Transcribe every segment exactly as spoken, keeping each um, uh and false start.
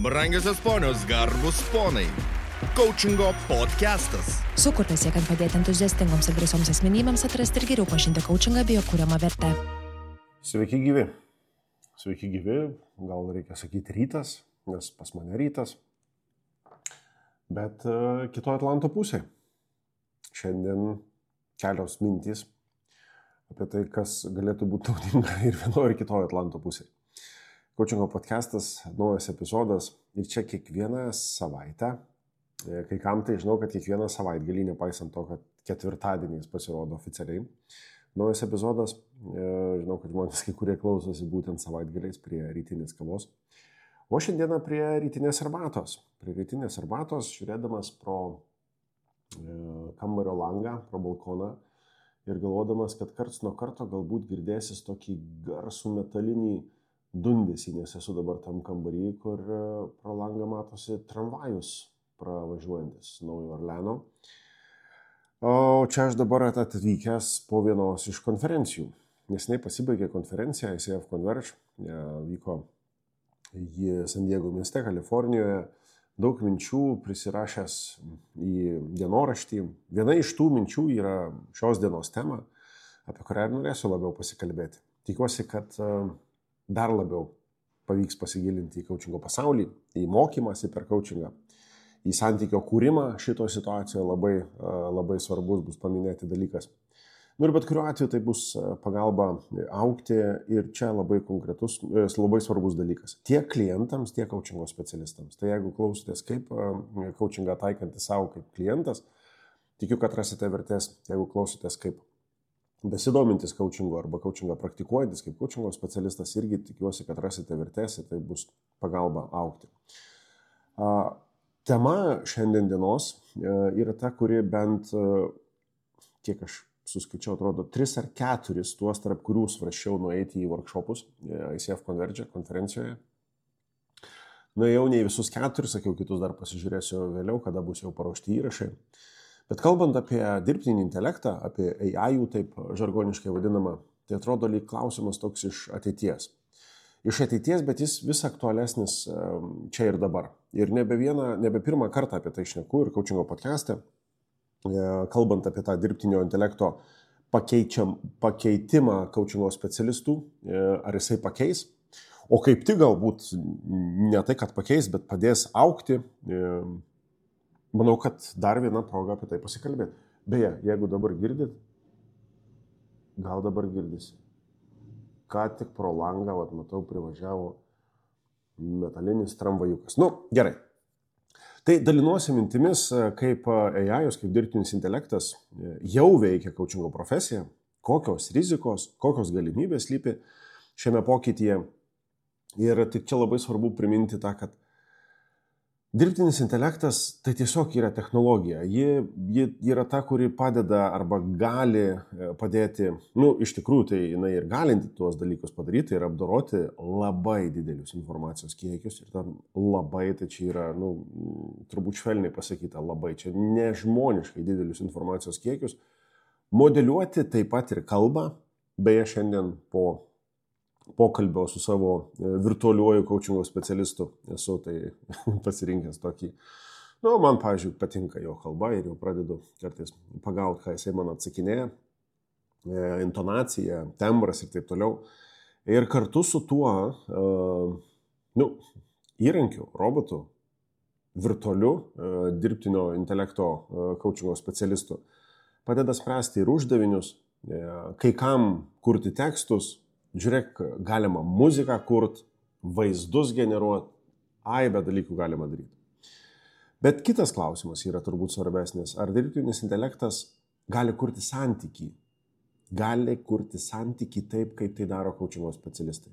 Brangiosios ponios, garbus ponai. Coachingo podcastas. Sukurtas siekiant padėti entuziastingoms ir drąsioms asmenybėms atrasti ir geriau pažinti coachingą bei jo kuriamą vertę. Sveiki gyvi. Sveiki gyvi, gal reikia sakyti rytas, nes pas mane rytas. Bet uh, kitoje Atlanto pusėje. Šiandien kelios mintys apie tai, kas galėtų būti naudinga ir vienoje ir kitoje Atlanto pusėje. Coachingo podcastas, naujas epizodas ir čia kiekvieną savaitę, kai kam tai žinau, kad kiekvieną savaitgalį, nepaisant to, kad ketvirtadieniais pasirodo oficialiai, naujas epizodas, žinau, kad žmonės kai kurie klausosi būtent savaitgaliais prie rytinės kavos, o šiandieną prie rytinės arbatos. Prie rytinės arbatos, žiūrėdamas pro kambario langą, pro balkoną ir galvodamas, kad karts nuo karto galbūt girdėsis tokį garsų metalinį dundesį, nes esu dabar tam kambarį, kur pro langą matosi tramvajus pravažiuojantis Naujojo Orleano. O čia aš dabar atvykęs po vienos iš konferencijų. Neseniai pasibaigė konferencija I C F Converge, vyko ji San Diego mieste, Kalifornijoje. Daug minčių prisirašęs į dienoraštį. Viena iš tų minčių yra šios dienos tema, apie kurią norėsiu labiau pasikalbėti. Tikiuosi, kad dar labiau pavyks pasigilinti į coachingo pasaulį, į mokymąsi per coachingą, į santykio kūrimą šitoje situacijoje labai, labai svarbus bus paminėti dalykas. Nu ir bet kuriuo atveju tai bus pagalba augti ir čia labai konkretus, labai svarbus dalykas. Tiek klientams, tiek coachingo specialistams. Tai jeigu klausotės kaip coachingą taikantį savo kaip klientas, tikiu, kad rasite vertės. Jeigu klausotės kaip besidomintis coachingo arba coachingą praktikuojantis kaip coachingo specialistas, irgi tikiuosi, kad rasite vertės ir tai bus pagalba augti. Tema šiandien dienos yra ta, kuri bent, kiek aš suskaičiau, atrodo, tris ar keturis tuos, tarp kurių svarsčiau nueiti į workshopus I C F Converge konferencijoje. Nuėjau ne į visus keturis, sakiau, kitus dar pasižiūrėsiu vėliau, kada bus jau paruošti įrašai. Bet kalbant apie dirbtinį intelektą, apie A I, taip žargoniškai vadinamą, tai atrodo lyg klausimas toks iš ateities. Iš ateities, bet jis vis aktualesnis čia ir dabar. Ir nebe, vieną, nebe pirmą kartą apie tai šneku ir coachingo podcaste, kalbant apie tą dirbtinio intelekto pakeičiam, pakeitimą coachingo specialistų, ar jisai pakeis, o kaip tik galbūt ne tai, kad pakeis, bet padės augti. Manau, kad dar viena proga apie tai pasikalbėti. Beje, jeigu dabar girdit, gal dabar girdisi. Ką tik pro langą, vat, matau, privažiavo metalinis tramvajukas. Nu, gerai. Tai dalinuosi mintimis, kaip A I, kaip dirbtinis intelektas jau veikia coachingo profesiją, kokios rizikos, kokios galimybės slypi šiame pokytyje. Ir tik čia labai svarbu priminti tą, kad dirbtinis intelektas tai tiesiog yra technologija. Ji, ji yra ta, kuri padeda arba gali padėti, nu, iš tikrųjų tai jinai ir galinti tuos dalykus padaryti ir apdoroti labai didelius informacijos kiekius. Ir tam labai, tai čia yra, nu, turbūt švelniai pasakyta, labai, čia nežmoniškai didelius informacijos kiekius. Modeliuoti taip pat ir kalbą, beje, šiandien po pokalbio su savo virtualiuoju coachingo specialistu esu tai pasirinkęs tokį. Nu, man, pavyzdžiui, patinka jo kalba ir jau pradedu kartais pagauti, ką jisai man atsakinėja, intonacija, tembras ir taip toliau. Ir kartu su tuo nu, įrankiu, robotu, virtualiu dirbtinio intelekto coachingo specialistu padeda spręsti ir uždavinius, kai kam kurti tekstus. Žiūrėk, galima muziką kurt, vaizdus generuoti, aibę dalykų galima daryti. Bet kitas klausimas yra turbūt svarbesnis. Ar dirbtinis intelektas gali kurti santykį? Gali kurti santykį taip, kaip tai daro coachingo specialistai?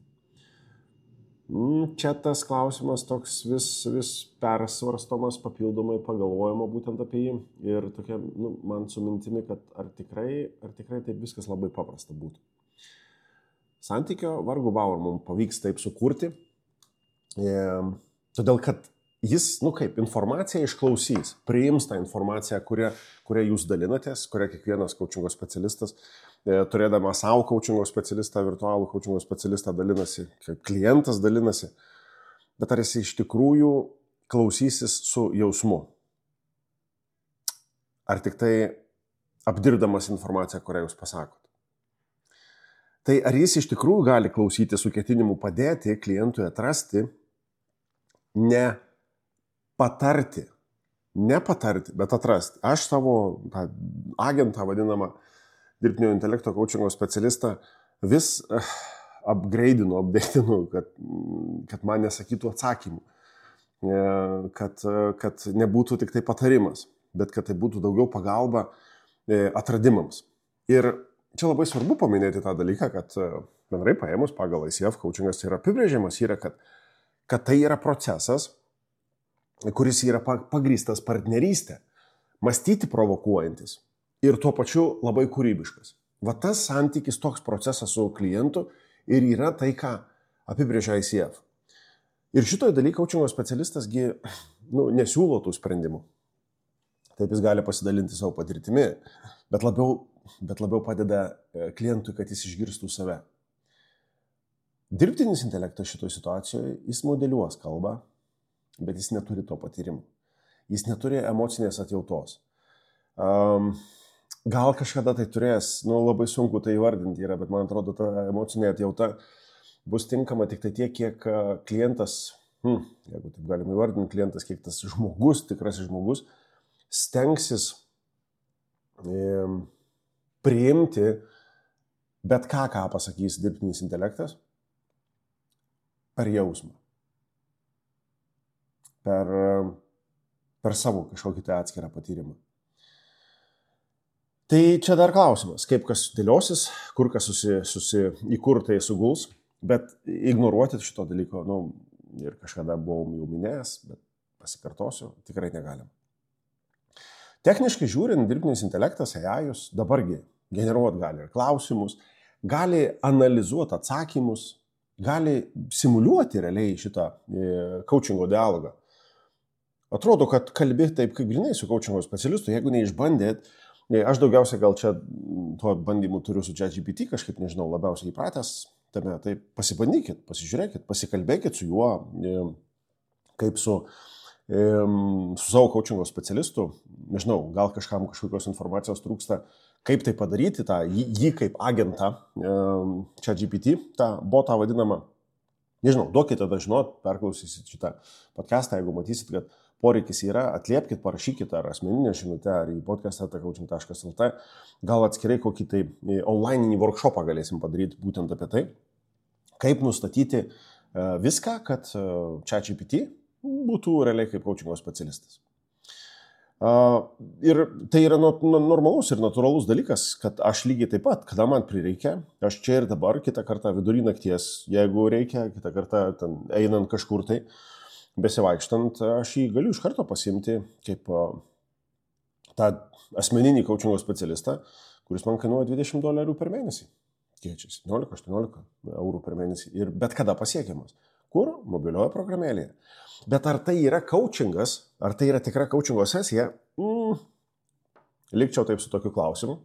Čia tas klausimas toks vis, vis persvarstomas, papildomai pagalvojama būtent apie jį. Ir tokia, nu, man su mintimi, kad ar tikrai, ar tikrai taip viskas labai paprasta būtų. Santykio vargu bau ar mums pavyks taip sukurti, e, todėl kad jis, nu kaip, informaciją išklausys, priims tą informaciją, kurią, kurią jūs dalinatės, kurią kiekvienas coachingo specialistas, e, turėdamas savo coachingo specialistą, virtualų coachingo specialistą dalinasi, kaip klientas dalinasi. bet ar jis iš tikrųjų klausysis su jausmu. Ar tik tai apdirbdamas informaciją, kurią jūs pasakot. Tai ar jis iš tikrųjų gali klausyti su ketinimu padėti klientui atrasti, ne patarti, ne patarti, bet atrasti. Aš savo tą agentą vadinamą dirbtinio intelekto coachingo specialistą vis uh, upgrade'inu, update'inu, kad, kad man nesakytų atsakymų, kad, kad nebūtų tik tai patarimas, bet kad tai būtų daugiau pagalba atradimams. Ir čia labai svarbu paminėti tą dalyką, kad bendrai paėmus pagal I C F coachingas yra apibrėžimas, yra, kad, kad tai yra procesas, kuris yra pagrįstas partnerystė, mąstyti provokuojantis ir tuo pačiu labai kūrybiškas. Va tas santykis, toks procesas su klientu ir yra tai, ką apibrėžia I C F. Ir šitoje dalyje coachingo specialistasgi nu, nesiūlo tų sprendimų. Taip jis gali pasidalinti savo patirtimi, bet labiau, bet labiau padeda klientui, kad jis išgirstų save. Dirbtinis intelektas šitoje situacijoje, jis modeliuos kalbą, bet jis neturi to patyrimo. Jis neturi emocinės atjautos. Um, gal kažkada tai turės, nu labai sunku tai įvardinti yra, bet man atrodo, ta emocinė atjauta bus tinkama tik tai tiek, kiek klientas, hmm, jeigu taip galima įvardinti, klientas, kiek tas žmogus, tikrasis žmogus, stengsis e, priimti bet ką, ką pasakys dirbtinis intelektas, per jausmą. Per, per savo kažkokį tai atskirą patyrimą. Tai čia dar klausimas, kaip kas dėliosis, kur kas susi, susi, į kur tai suguls. Bet ignoruoti šito dalyko, nu, ir kažkada buvau jau minėjęs, bet pasikartosiu, tikrai negalim. Techniškai žiūrint, dirbtinis intelektas, A I-us, dabargi generuoti gali ir klausimus, gali analizuoti atsakymus, gali simuliuoti realiai šitą e, coachingo dialogą. Atrodo, kad kalbi taip, kaip grinai su coachingo specialistu, jeigu neišbandėt, e, aš daugiausiai gal čia tuo bandymu turiu su ChatGPT, kažkaip nežinau, labiausiai įpratęs, tame, tai pasibandykit, pasižiūrėkit, pasikalbėkit su juo, kaip su, su savo coachingo specialistu, nežinau, gal kažkam kažkokios informacijos trūksta, kaip tai padaryti, tą, jį kaip agentą, ChatGPT, tą botą vadinamą, nežinau, duokite tada žinot, perklausysit šitą podcastą, jeigu matysit, kad poreikis yra, atliepkit, parašykit ar asmeninę žinutę, ar į podcastą coaching taškas L T, gal atskirai kokį tai onlininį workshopą galėsim padaryti būtent apie tai, kaip nustatyti viską, kad ChatGPT būtų realiai kaip coachingo specialistas. Ir tai yra normalus ir natūralus dalykas, kad aš lygiai taip pat, kada man prireikia, aš čia ir dabar, kitą kartą vidury nakties, jeigu reikia, kitą kartą ten, einant kažkur tai, besivaikštant, aš jį galiu iš karto pasiimti kaip tą asmeninį coachingo specialistą, kuris man kainuoja dvidešimt dolerių per mėnesį. Keičia septyniolika aštuoniolika eurų per mėnesį ir bet kada pasiekiamas. Kur? Mobilioje programėlėje. Bet ar tai yra coachingas, ar tai yra tikra coachingo sesija? Mm, likčiau taip su tokiu klausimu.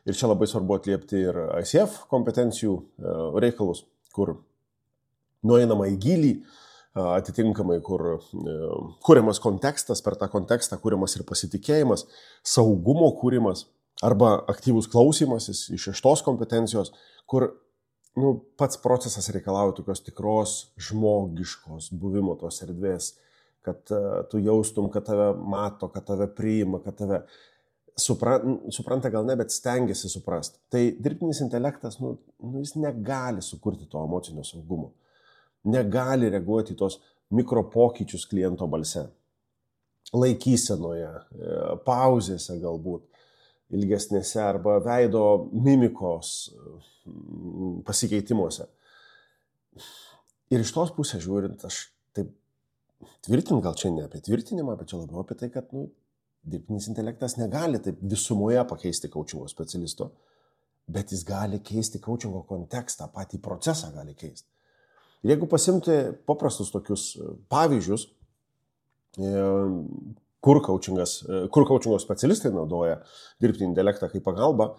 Ir čia labai svarbu atliepti ir I C F kompetencijų reikalus, kur nueinama į gylį, atitinkamai, kur kuriamas kontekstas, per tą kontekstą kuriamas ir pasitikėjimas, saugumo kūrimas arba aktyvus klausymasis iš šeštos kompetencijos, kur nu, pats procesas reikalauja tokios tikros žmogiškos buvimo tos erdvės, kad uh, tu jaustum, kad tave mato, kad tave priima, kad tave supra, supranta gal ne, bet stengiasi suprasti. Tai dirbtinis intelektas, nu, nu, jis negali sukurti to emocinio saugumo. Negali reaguoti į tos mikropokyčius kliento balse. Laikysenoje, pauzėse galbūt, ilgesnėse arba veido mimikos pasikeitimuose. Ir iš tos pusės žiūrint, aš taip tvirtinu, gal čia ne apie tvirtinimą, bet čia labiau apie tai, kad nu, dirbtinis intelektas negali taip visumoje pakeisti coachingo specialisto, bet jis gali keisti coachingo kontekstą, patį procesą gali keisti. Ir jeigu pasimti paprastus tokius pavyzdžius, kur coachingas, kur coachingo specialistai naudoja dirbtinį intelektą kaip pagalbą,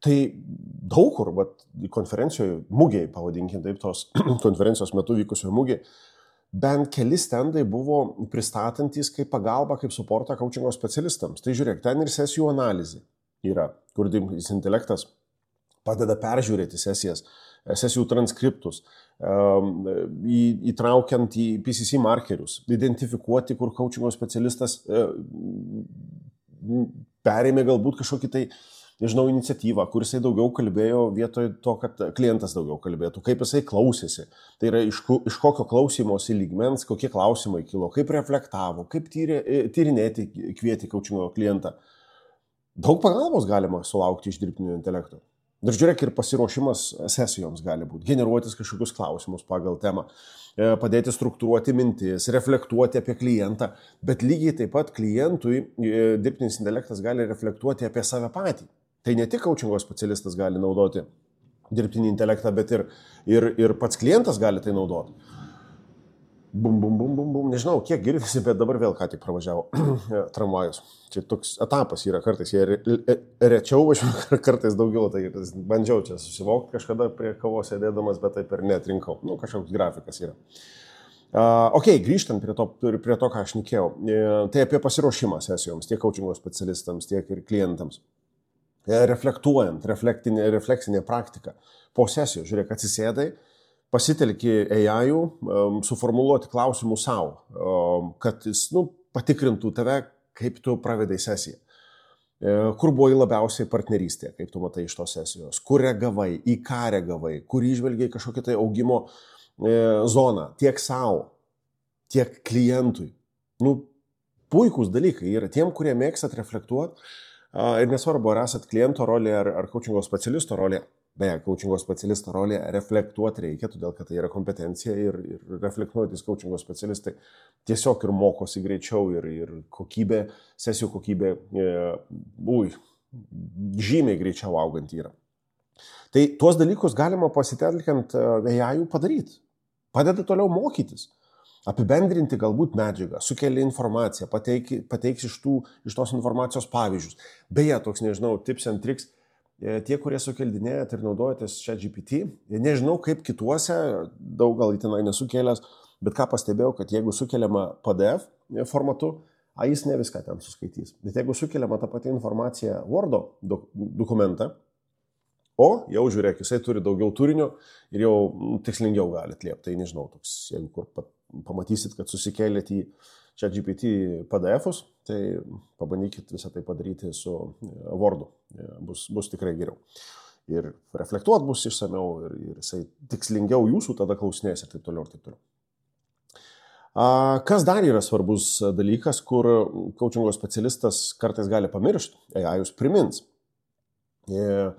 tai daug kur, bet konferencijoje, mugėje, pavadinkim taip, tos konferencijos metu vykusioje mugėje, bent keli stendai buvo pristatantys kaip pagalba, kaip suportą coachingo specialistams. Tai žiūrėk, ten ir sesijų analizė yra, kur dirbtinis intelektas padeda peržiūrėti sesijas, sesijų transkriptus, įtraukiant į P C C markerius, identifikuoti, kur coachingo specialistas perėmė galbūt kažkokį tai, nežinau, iniciatyvą, kur jisai daugiau kalbėjo vietoj to, kad klientas daugiau kalbėtų, kaip jisai klausėsi. Tai yra iš, iš kokio klausymosi lygmens, kokie klausimai kilo, kaip reflektavo, kaip tyrė, tyrinėti kvieti coachingo klientą. Daug pagalbos galima sulaukti iš dirbtinio intelekto. Ir žiūrėk, ir pasiruošimas sesijoms gali būti, generuotis kažkokius klausimus pagal temą, padėti struktūruoti mintis, reflektuoti apie klientą, bet lygiai taip pat klientui dirbtinis intelektas gali reflektuoti apie save patį. Tai ne tik coachingo specialistas gali naudoti dirbtinį intelektą, bet ir, ir, ir pats klientas gali tai naudoti. Bum, bum, bum, bum, bum. Nežinau, kiek girdisi, bet dabar vėl ką tik pravažiavo tramvajus. Čia toks etapas yra kartais, jie rečiau važiuoja, kartais daugiau, tai bandžiau čia susivokti kažkada prie kavos sėdėdamas, bet taip ir netrinkau. Nu, kažkoks grafikas yra. Uh, ok, grįžtant prie to, prie to, ką aš šnekėjau, tai apie pasiruošimą sesijoms, tiek coachingo specialistams, tiek ir klientams. Reflektuojant, refleksinė praktika. Po sesijos, žiūrėk, atsisėdai, pasitelki A I, um, suformuluoti klausimų savo, um, kad jis nu, patikrintų tave, kaip tu pravedai sesiją. E, kur buvai labiausiai partnerystė, kaip tu matai iš tos sesijos, kur reagavai, į ką reagavai, kur įžvelgiai kažkokią tai augimo e, zoną, tiek savo, tiek klientui. Nu, puikūs dalykai yra tiem, kurie mėgstat reflektuoti a, ir nesvarbu, ar esat kliento rolė, ar, ar coachingo specialisto rolė. Beje, coachingo specialisto rolė reflektuoti reikia, todėl kad tai yra kompetencija ir, ir reflektuojantis coachingo specialistai tiesiog ir mokosi greičiau ir, ir kokybė, sesijų kokybė, e, ui, žymiai greičiau augant yra. Tai tuos dalykus galima pasitelkiant A I padaryti. Padeda toliau mokytis, apibendrinti galbūt medžiagą, sukelia informaciją, pateiki, pateiks iš, tų, iš tos informacijos pavyzdžius. Beje, toks, nežinau, tips and tricks. Tie, kurie sukeldinėjat ir naudojatės ChatGPT, nežinau kaip kituose, daug gal įtenai nesukėlęs, bet ką pastebėjau, kad jeigu sukeliama P D F formatu, a jis ne viską ten suskaitys. Bet jeigu sukeliama ta pati informacija Wordo dok- dokumentą, o jau žiūrėk, jisai turi daugiau turinio ir jau tikslingiau gali atliepti. Tai nežinau, toks, jeigu kur pat, pamatysit, kad susikėlėt į ChatGPT P D F'us, tai pabandykit visą tai padaryti su Wordu. Bus, bus tikrai geriau. Ir reflektuot bus išsamiau ir, ir jisai tikslingiau jūsų tada klausinės ir taip toliau ir taip toliau. A, kas dar yra svarbus dalykas, kur coachingo specialistas kartais gali pamiršti, A I jūs primins. Ir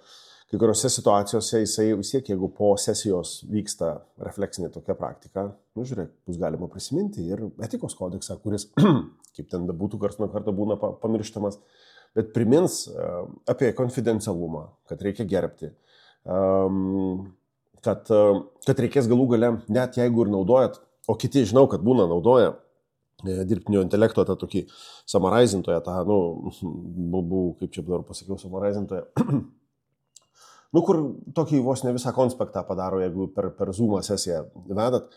kai kuriuose situacijose jisai vis tiek, jeigu po sesijos vyksta refleksinė tokia praktika, nu žiūrėk, bus galima prisiminti ir etikos kodeksą, kuris, kaip ten bebūtų, karts nuo karto būna pamirštamas, bet primins uh, apie konfidencialumą, kad reikia gerbti, um, kad, uh, kad reikės galų gale, net jeigu ir naudojat, o kiti žinau, kad būna naudoja e, dirbtinio intelekto tą tokį summarizintoją, tą, nu, bu, kaip čia dabar pasakiau, summarizintoją, nu, kur tokį vos ne visą konspektą padaro, jeigu per, per Zoom sesiją vedat.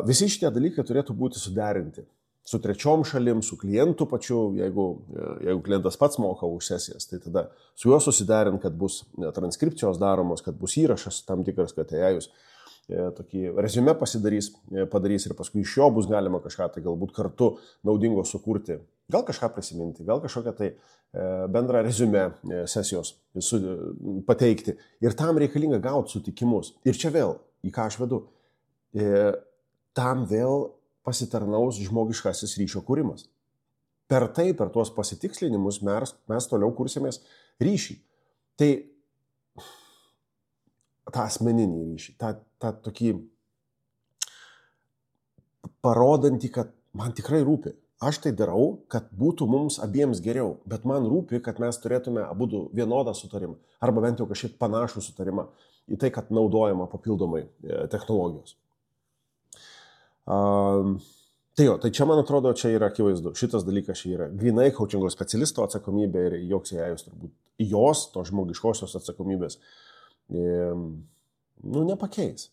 Visi šitie dalykai turėtų būti suderinti su trečiom šalim, su klientu pačiu, jeigu, jeigu klientas pats moka už sesijas, tai tada su juo susiderint, kad bus transkripcijos daromos, kad bus įrašas tam tikras, kad A I jūs tokį reziumė pasidarys, padarys ir paskui iš jo bus galima kažką tai galbūt kartu naudingo sukurti. Gal kažką prisiminti, gal kažkokią tai bendrą reziumė sesijos su, pateikti. Ir tam reikalinga gauti sutikimus. Ir čia vėl, į ką aš vedu, tam vėl pasitarnaus žmogiškasis ryšio kūrimas. Per tai, per tuos pasitikslinimus mes, mes toliau kursimės ryšį. Tai tą asmeninį ryšį, tą, tą tokį parodantį, kad man tikrai rūpi. Aš tai darau, kad būtų mums abiems geriau, bet man rūpi, kad mes turėtume abudu vienodą sutarimą, arba bent jau kažkiek panašų sutarimą į tai, kad naudojama papildomai technologijos. Um, tai jo, tai čia man atrodo, čia yra akivaizdu. Šitas dalykas čia yra grinai coachingo specialisto atsakomybė ir joks A I turbūt jos, to žmogiškosios atsakomybės, nu, nepakeis.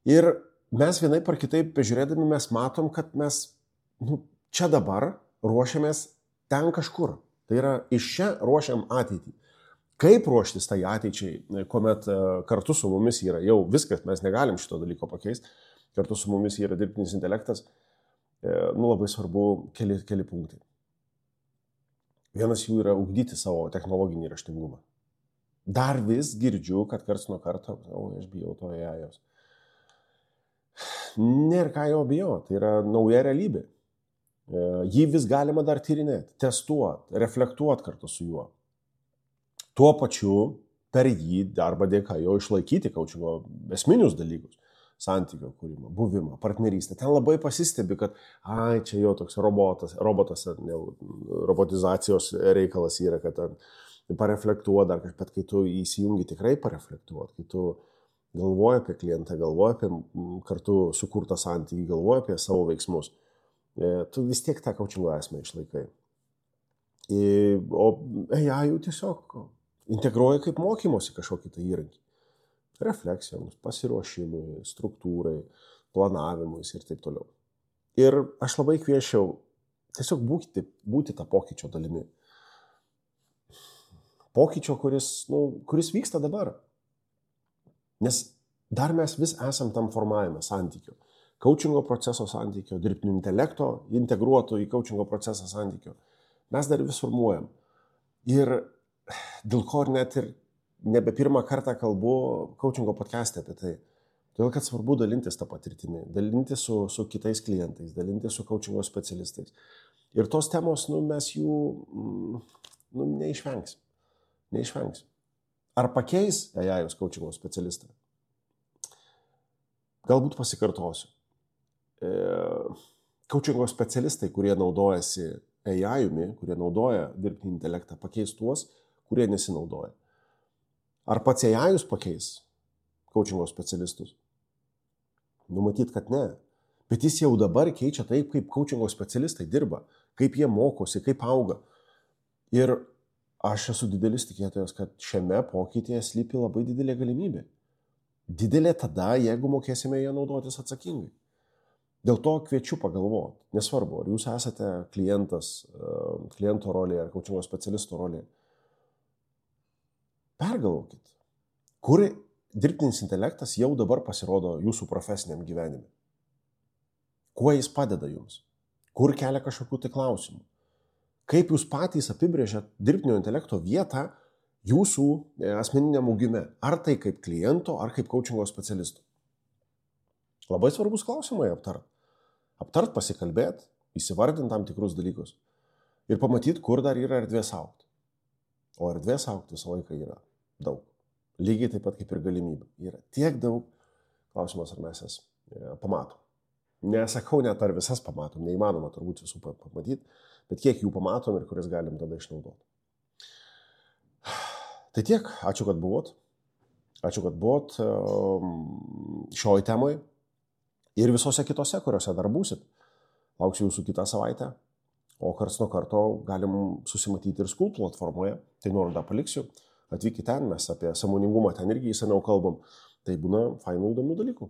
Ir mes vienai par kitaip pažiūrėdami mes matom, kad mes nu, čia dabar ruošiamės ten kažkur. Tai yra iš čia ruošiam ateitį. Kaip ruoštis tai ateičiai, kuomet kartu su mumis yra jau viskas, mes negalim šito dalyko pakeisti, kartu su mumis yra dirbtinis intelektas, nu labai svarbu keli, keli punktai. Vienas jų yra ugdyti savo technologinį raštingumą. Dar vis girdžiu, kad karts nuo karto, o aš bijau to A I-os. Nėra ką jo bijoti, tai yra nauja realybė. Jį vis galima dar tyrinėti, testuoti, reflektuoti kartu su juo. Tuo pačiu per jį arba dėka jo išlaikyti kaučingo esminius dalykus. Santykio kūrimą, buvimą, partnerystę. Ten labai pasistebi, kad ai, čia jo toks robotas, robotas, ne, robotizacijos reikalas yra, kad ten pareflektuoja dar kažkaip, bet kai tu įsijungi tikrai pareflektuot, kai tu galvoji apie klientą, galvoji apie kartu sukurtą santykį, galvoji apie savo veiksmus, tu vis tiek tą kaučingo esmę išlaikai. O A I jau tiesiog integruoja kaip mokymosi kažkokį tą įrankį. Refleksijoms, pasiruošimui, struktūrai, planavimui ir taip toliau. Ir aš labai kviečiau tiesiog būti, būti tą pokyčio dalimi. Pokyčio, kuris, nu, kuris vyksta dabar. Nes dar mes vis esam tam formavime santykio. Kaučingo proceso santykio, dirbtinio intelekto integruoto į kaučingo procesą santykio. Mes dar vis formuojam. Ir dėl ko net ir nebe pirmą kartą kalbu kaučingo podcast'e apie tai. Todėl, kad svarbu dalintis tą patirtimį, dalintis su, su kitais klientais, dalintis su kaučingo specialistais. Ir tos temos, nu, mes jų nu, neišvengsim. Neišvengsim. Ar pakeis A I-os kaučingo specialistą? Galbūt pasikartosiu. E, kaučingo specialistai, kurie naudojasi A I-umi, kurie naudoja dirbtinį intelektą, pakeis tuos, kurie nesinaudoja. Ar pats A I-us pakeis kaučingo specialistus? Numatyt, kad ne. Bet jis jau dabar keičia taip, kaip kaučingo specialistai dirba, kaip jie mokosi, kaip auga. Ir aš esu didelis tikėtojas, kad šiame pokytyje slypi labai didelė galimybė. Didelė tada, jeigu mokėsime ją naudotis atsakingai. Dėl to kviečiu pagalvoti. Nesvarbu, ar jūs esate klientas, kliento rolėje ar kaučingo specialisto rolėje. Pergalvokit, kur dirbtinis intelektas jau dabar pasirodo jūsų profesiniam gyvenime. Kuo jis padeda jums? Kur kelia kažkokių tai klausimų? Kaip jūs patys apibrėžiat dirbtinio intelekto vietą jūsų asmeniniam augime? Ar tai kaip kliento, ar kaip kaučingo specialisto? Labai svarbus klausimai aptart. Aptart, pasikalbėt, įsivardint tam tikrus dalykus ir pamatyt, kur dar yra erdvės augti. O erdvės augti visą laiką yra daug. Lygiai taip pat kaip ir galimybė. Yra tiek daug. Klausimas, ar mes jas pamatom. Nesakau net, ar visas pamatom. Neįmanoma turbūt visų pamatyti, bet kiek jų pamatom ir kurias galim tada išnaudoti. Tai tiek. Ačiū, kad buvot. Ačiū, kad buvot šioj temoj ir visose kitose, kuriuose dar būsit. Lauksiu jūsų kitą savaitę. O karts nuo karto galim susimatyti ir Skool platformoje. Tai nuorodą paliksiu. Atvykite ten, mes apie sąmoningumą ten irgi įsamiau kalbam. Tai būna fainų įdomių dalykų.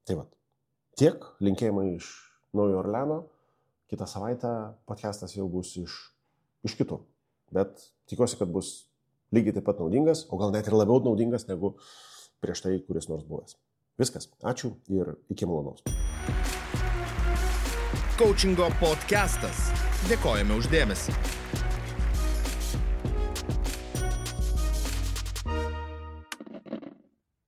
Tai vat. Tiek. Linkėjimai iš Naujojo Orleano. Kitą savaitę podcastas jau bus iš, iš kitur. Bet tikiuosi, kad bus lygiai taip pat naudingas, o gal net ir labiau naudingas negu prieš tai, kuris nors buvęs. Viskas. Ačiū ir iki malonaus. Kaučingo podcastas. Dėkojame už dėmesį.